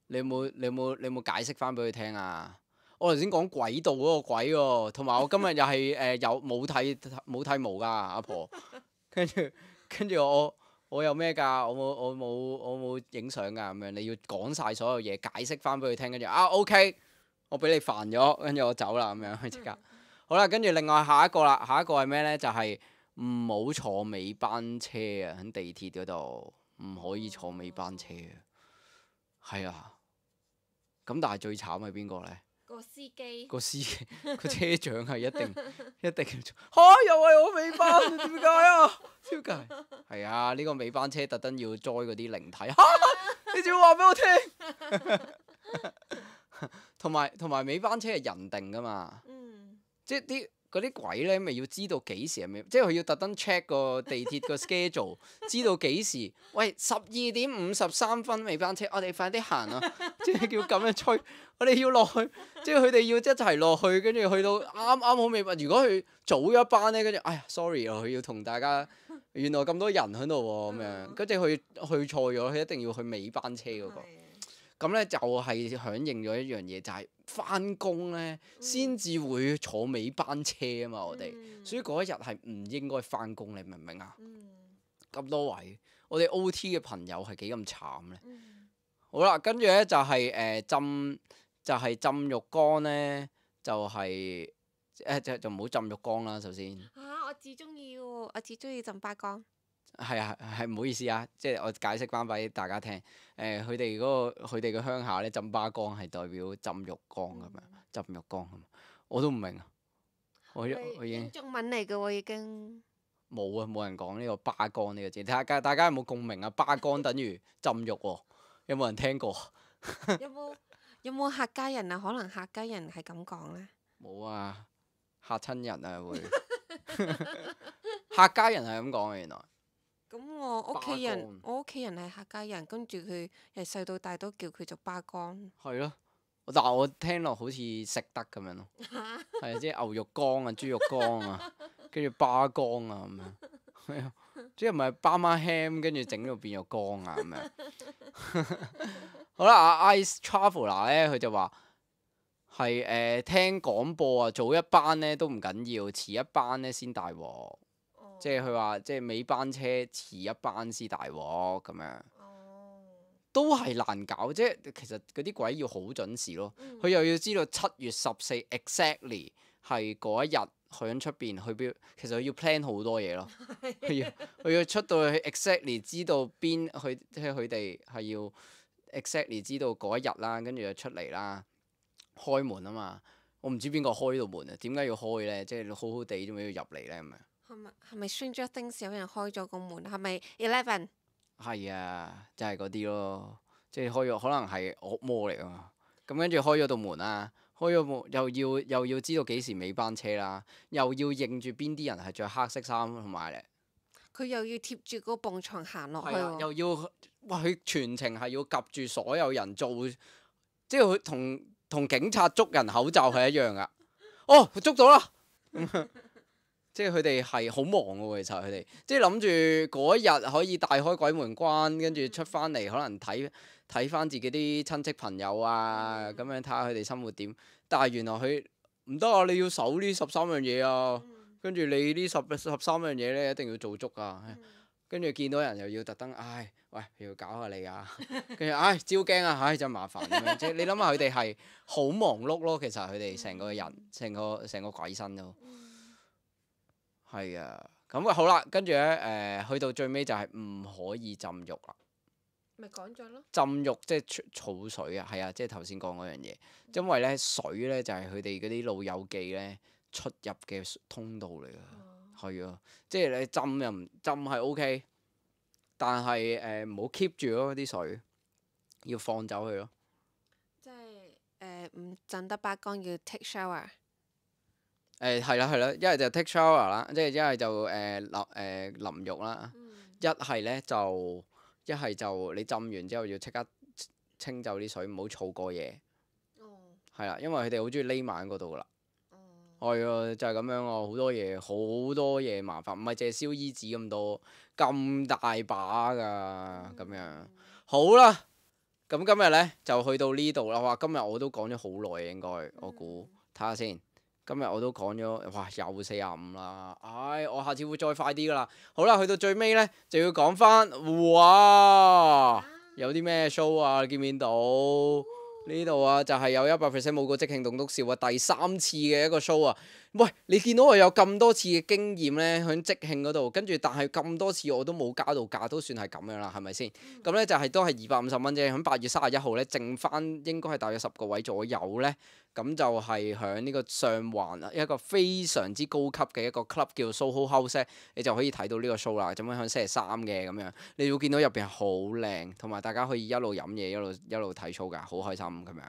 你有冇解釋翻俾佢聽啊？我頭先講軌道嗰個鬼喎，同埋我今日又係有冇剃毛㗎阿婆，跟住我有咩㗎？我冇影相㗎咁樣，你要講晒所有嘢，解釋翻俾佢聽，跟住OK，我俾你煩咗，跟住我走啦咁樣即刻。好啦，跟住另外下一個啦，下一個係咩呢？就係唔好坐尾班車啊！喺地鐵嗰度唔可以坐尾班車啊。係啊，咁但係最慘係邊個呢？司機個司機個車長係一定又係我尾班，點解啊？點解？係啊，呢個尾班車特登要載嗰啲靈體你仲要話俾我聽？同埋尾班車係人定噶嘛，即係嗰啲鬼咧，咪要知道幾時係尾，即係佢要特登 check 個地鐵個 schedule，知道幾時。喂，12:53尾班車，我哋快啲行啊！即係叫咁樣催，我哋要落去，即係佢哋要一齊落去，跟住去到啱啱好尾班。如果佢早咗班咧，跟住哎呀 sorry 啊，佢要同大家原來咁多人喺度喎，咁樣跟住佢去錯咗，佢一定要去尾班車嗰個。咁咧就係響應咗一樣嘢，就係翻工咧先至會坐尾班車啊嘛，我哋，所以嗰一日係唔應該翻工，你明唔明啊？咁多位，我哋 OT 嘅朋友係幾咁慘咧？好啦，跟住咧就係浸浴缸咧，就係就唔好浸浴缸啦，首先。我至中意喎，我至中意浸巴缸。係啊，係唔好意思啊，即係我解釋翻俾大家聽。佢哋佢哋嘅鄉下咧，浸巴缸係代表浸浴缸咁樣，浸浴缸咁。我都唔明啊，我已經中文嚟嘅喎，已經冇啊，冇人講呢個巴缸呢個字。大家有冇共鳴啊？巴缸等於浸浴喎，有冇人聽過？有冇客家人啊？可能客家人係咁講咧。冇啊，嚇親人啊會。客家人係咁講嘅原來。咁我屋企人係客家人，跟住佢由細到大都叫佢做巴缸。係咯，但係我聽落好似食得咁樣咯，係即係牛肉乾啊、豬肉乾啊，跟住巴缸啊咁樣，即係唔係巴馬 ham 跟住整到變咗乾啊咁樣。好啦，阿 Ice Traveller 咧，佢就話係聽廣播啊，早一班咧都唔緊要，遲一班咧先大鑊。即係佢話，即係尾班車遲一班先大鑊咁樣，都係難搞。即係其實嗰啲鬼要好準時咯，佢又要知道7月14 exactly 係嗰一日響出邊去邊，其實佢要 plan 好多嘢咯。佢要出到去 exactly 知道邊去，即係佢哋係要 exactly 知道嗰一日啦，跟住就出嚟啦，開門啊嘛。我唔知邊個開到門啊？點解要開咧？即係好好地點解要入嚟咧咁樣？係咪 Stranger Things 有人開咗個門？係咪 11？係啊，就係嗰啲咯，即係開咗，可能係惡魔嚟啊。咁跟住開咗道門啦，開咗門又要知道幾時尾班車啦，又要認住邊啲人係着黑色衫同埋咧，佢又要貼住嗰埲牆行落去係啊，喎。又要哇！佢全程係要及住所有人做，即係佢同警察捉人口罩係一樣噶。哦，佢捉到啦！即係佢哋係好忙嘅喎，其實佢哋即係諗住嗰一日可以大開鬼門關，跟住出翻嚟可能睇翻自己啲親戚朋友啊，咁樣睇下佢哋生活點。但係原來佢唔得啊！你要守呢13樣嘢啊，跟住你呢13樣嘢咧一定要做足啊。跟住見到人又要特登，唉，喂，要搞下你啊，跟住唉招驚啊，唉真麻煩咁樣。即係你諗下佢哋係好忙碌咯，其實佢哋成個人成個鬼身都。係啊，咁好啦，跟住咧去到最尾就係唔可以浸浴啦。咪講咗咯。浸浴即係儲水啊，係啊，即係頭先講嗰樣嘢。因為咧水咧就係佢哋嗰啲老友記咧出入嘅通道嚟㗎。係啊，即係你浸又唔浸係 OK，但係唔好 keep 住咯啲水，要放走佢咯。即係唔浸得巴缸要 take shower。係啦，一係就 take shower 啦，即係一係就淋浴啦，一係就你浸完之後要即刻清走啲水，唔好儲過夜。係啦，因為佢哋好中意匿埋喺嗰度噶啦。係啊，就係咁樣啊，好多嘢麻煩，唔係淨係燒衣紙咁多，咁大把㗎咁樣。好啦，咁今日咧就去到呢度啦。哇，今日我都講咗好耐應該，我估睇下先。今日我都講咗，哇，又45啦，唉，我下次會再快啲噶啦。好啦，去到最尾咧，就要講翻，哇，有啲咩 show 啊？你見唔見到呢度啊？就係有100% 冇個即興棟篤笑啊，第3次嘅一個 show 啊！喂，你見到我有咁多次嘅經驗咧，喺即興嗰度，跟住但係咁多次我都冇加到價，都算係咁樣啦，係咪先？咁咧就係都係250蚊啫。喺8月31號咧，剩翻應該係大約10個位左右咧。咁就係響呢個上環一個非常之高級嘅一個 club 叫做 Soho House，你就可以睇到呢個 show 啦。咁樣響星期三嘅咁樣，你會見到入邊係好靚，同埋大家可以一路飲嘢一路睇 show 㗎，好開心咁樣。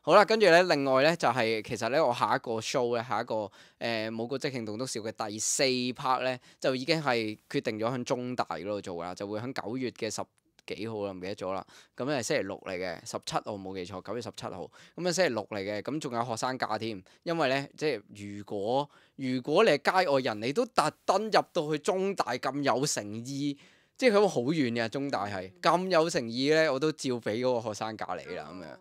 好啦，跟住咧，另外咧就係、其實咧，我下一個 show 咧，下一個舞蹈即興棟篤笑嘅第四 part 咧，就已經係決定咗喺中大嗰度做㗎啦，就會喺9月嘅10幾號啦，唔記得咗啦。咁係星期六嚟嘅，17號冇記錯，9月17號。咁啊星期六嚟嘅，咁仲有學生假添。因為咧，即係如果你係街外人，你都特登入到去中大咁有誠意，即係佢好遠嘅中大係咁有誠意咧，我都照俾嗰個學生假你啦咁樣。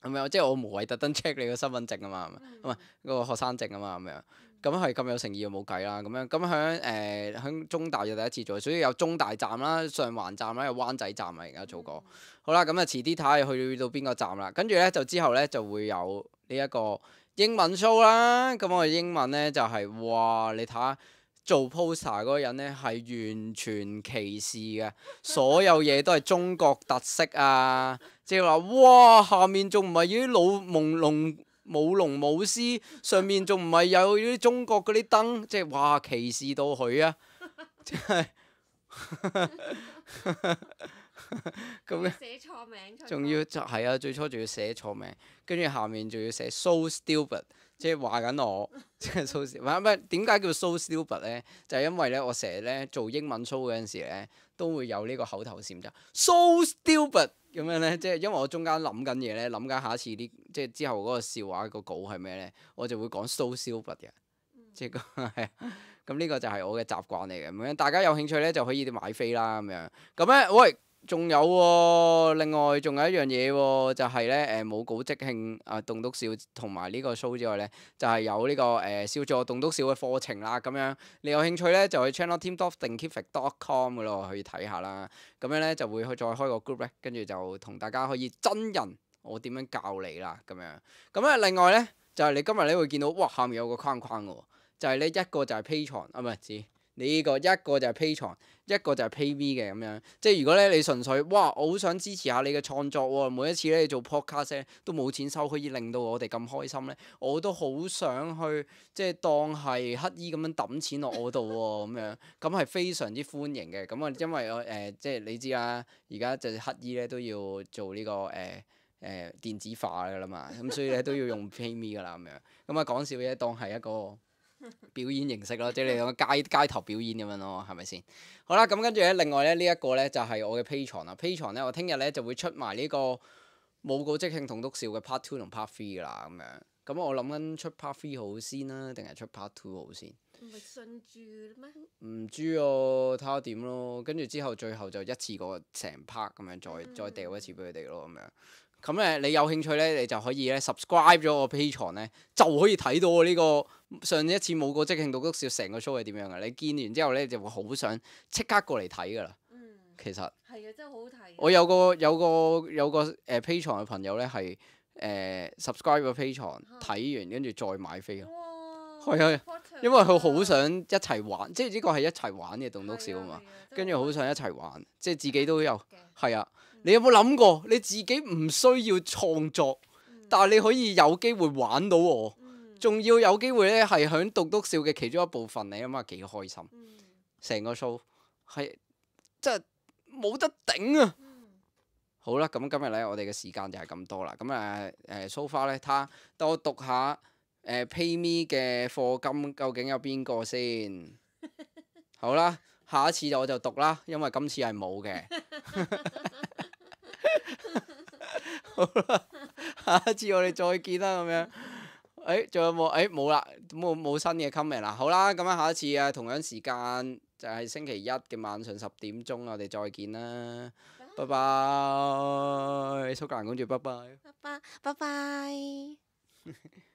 咁樣即係我無謂特登 check 你個身份證啊嘛，唔係嗰個學生證啊嘛咁樣。咁係咁有誠意就冇計啦，咁樣咁響中大就第一次做，所以有中大站啦、上環站啦、有灣仔站啊，而家做過。好啦，咁啊遲啲睇下去到邊個站啦，跟住咧就之後咧就會有呢一個英文 show 啦。咁我哋英文咧就係、哇，你睇下做 poster 嗰個人咧係完全歧視嘅，所有嘢都係中國特色啊，即係話哇下面仲唔係啲老朦朧舞龍舞獅，上面仲唔係有啲中國嗰啲燈，即係哇歧視到佢啊！即係咁樣，寫錯名，仲要就係啊，最初仲要寫錯名，跟住下面仲要寫 so stupid，即係話緊我，即係 so stupid。唔係點解叫 so stupid 咧？就係因為咧，我成日咧做英文 show 嗰陣時咧，都會有呢個口頭禪就 so stupid。咁樣咧，即係因為我中間諗緊嘢咧，諗緊下一次啲即係之後嗰個笑話個稿係咩咧，我就會講 so stupid 嘅，即係係咁呢個就係我嘅習慣嚟嘅。咁樣大家有興趣咧就可以買飛啦咁樣。咁咧，喂，仲有喎、另外仲有一樣嘢喎，就係咧舞蹈即興棟篤笑同埋呢個 show 之外咧，就係、有呢、個笑座棟篤笑嘅課程啦。咁樣你有興趣咧就去 channelteam.thinkific.com 嗰度去睇下啦。咁樣咧就會再開個 group 咧，跟住就同大家可以真人我點樣教你啦咁樣。咁咧另外咧就係、你今日咧會見到哇下面有個框框嘅喎，就係、呢一個就係 Patreon 啊，唔係指呢個一個就係 Patreon，一個就係 PayMe 嘅咁樣。即係如果咧你純粹哇我好想支持下你嘅創作喎，每一次咧你做 podcast 咧都冇錢收，可以令到我哋咁開心咧，我都好想去即係當係乞衣咁樣揼錢落我度喎咁樣，咁係非常之歡迎嘅。咁啊因為我即係你知啦，而家就乞衣咧都要做呢、個電子化㗎啦嘛，咁所以咧都要用 PayMe 㗎啦咁樣。咁啊講笑啫，當係一個表演形式咯，即係你講街頭表演咁樣咯，係咪先？好啦，咁跟住咧，另外咧呢一個咧就係我嘅 Patreon 啦。Patreon 咧，我聽日咧就會出埋呢個舞蹈即興棟篤笑嘅 Part Two 同 Part Three 㗎啦，咁樣。咁我諗緊出 Part Three 好先啦，定係出 Part Two 好先？唔係順住咩？唔知喎，睇下點咯。跟住之後最後就一次過成 part 咁樣再掉一次俾佢哋咯，咁樣。咁你有興趣咧，你就可以咧 subscribe 咗我 Patreon 咧，就可以睇到我呢個上一次舞蹈即興棟篤笑成個 show 係點樣嘅。你見完之後咧，就會好想即刻過嚟睇㗎啦。其實係啊，真係好好睇。我有個Patreon 嘅朋友咧係subscribe 個 Patreon 睇完跟住再買飛啊。係啊，因為佢好想一齊玩，即係呢個係一齊玩嘅棟篤笑啊嘛。跟住好想一齊玩，即係自己都有係啊。你有冇諗過你自己唔需要創作，但係你可以有機會玩到我，仲要有機會咧係響棟篤笑嘅其中一部分，你諗下幾開心？成個 show 係真係冇得頂啊！好啦，咁今日咧我哋嘅時間就係咁多啦。咁so far 咧，等我讀下PayMe 嘅課金究竟有邊個先？好啦，下一次我就讀啦，因為今次係冇嘅。好啦，下一次我哋再見啦，咁樣。仲有冇？冇啦，冇新嘅 comment 啦。好啦，咁樣下一次同樣時間就係星期一嘅晚上10點鐘，我哋再見啦。拜拜，蘇格蘭公主，拜拜。拜拜。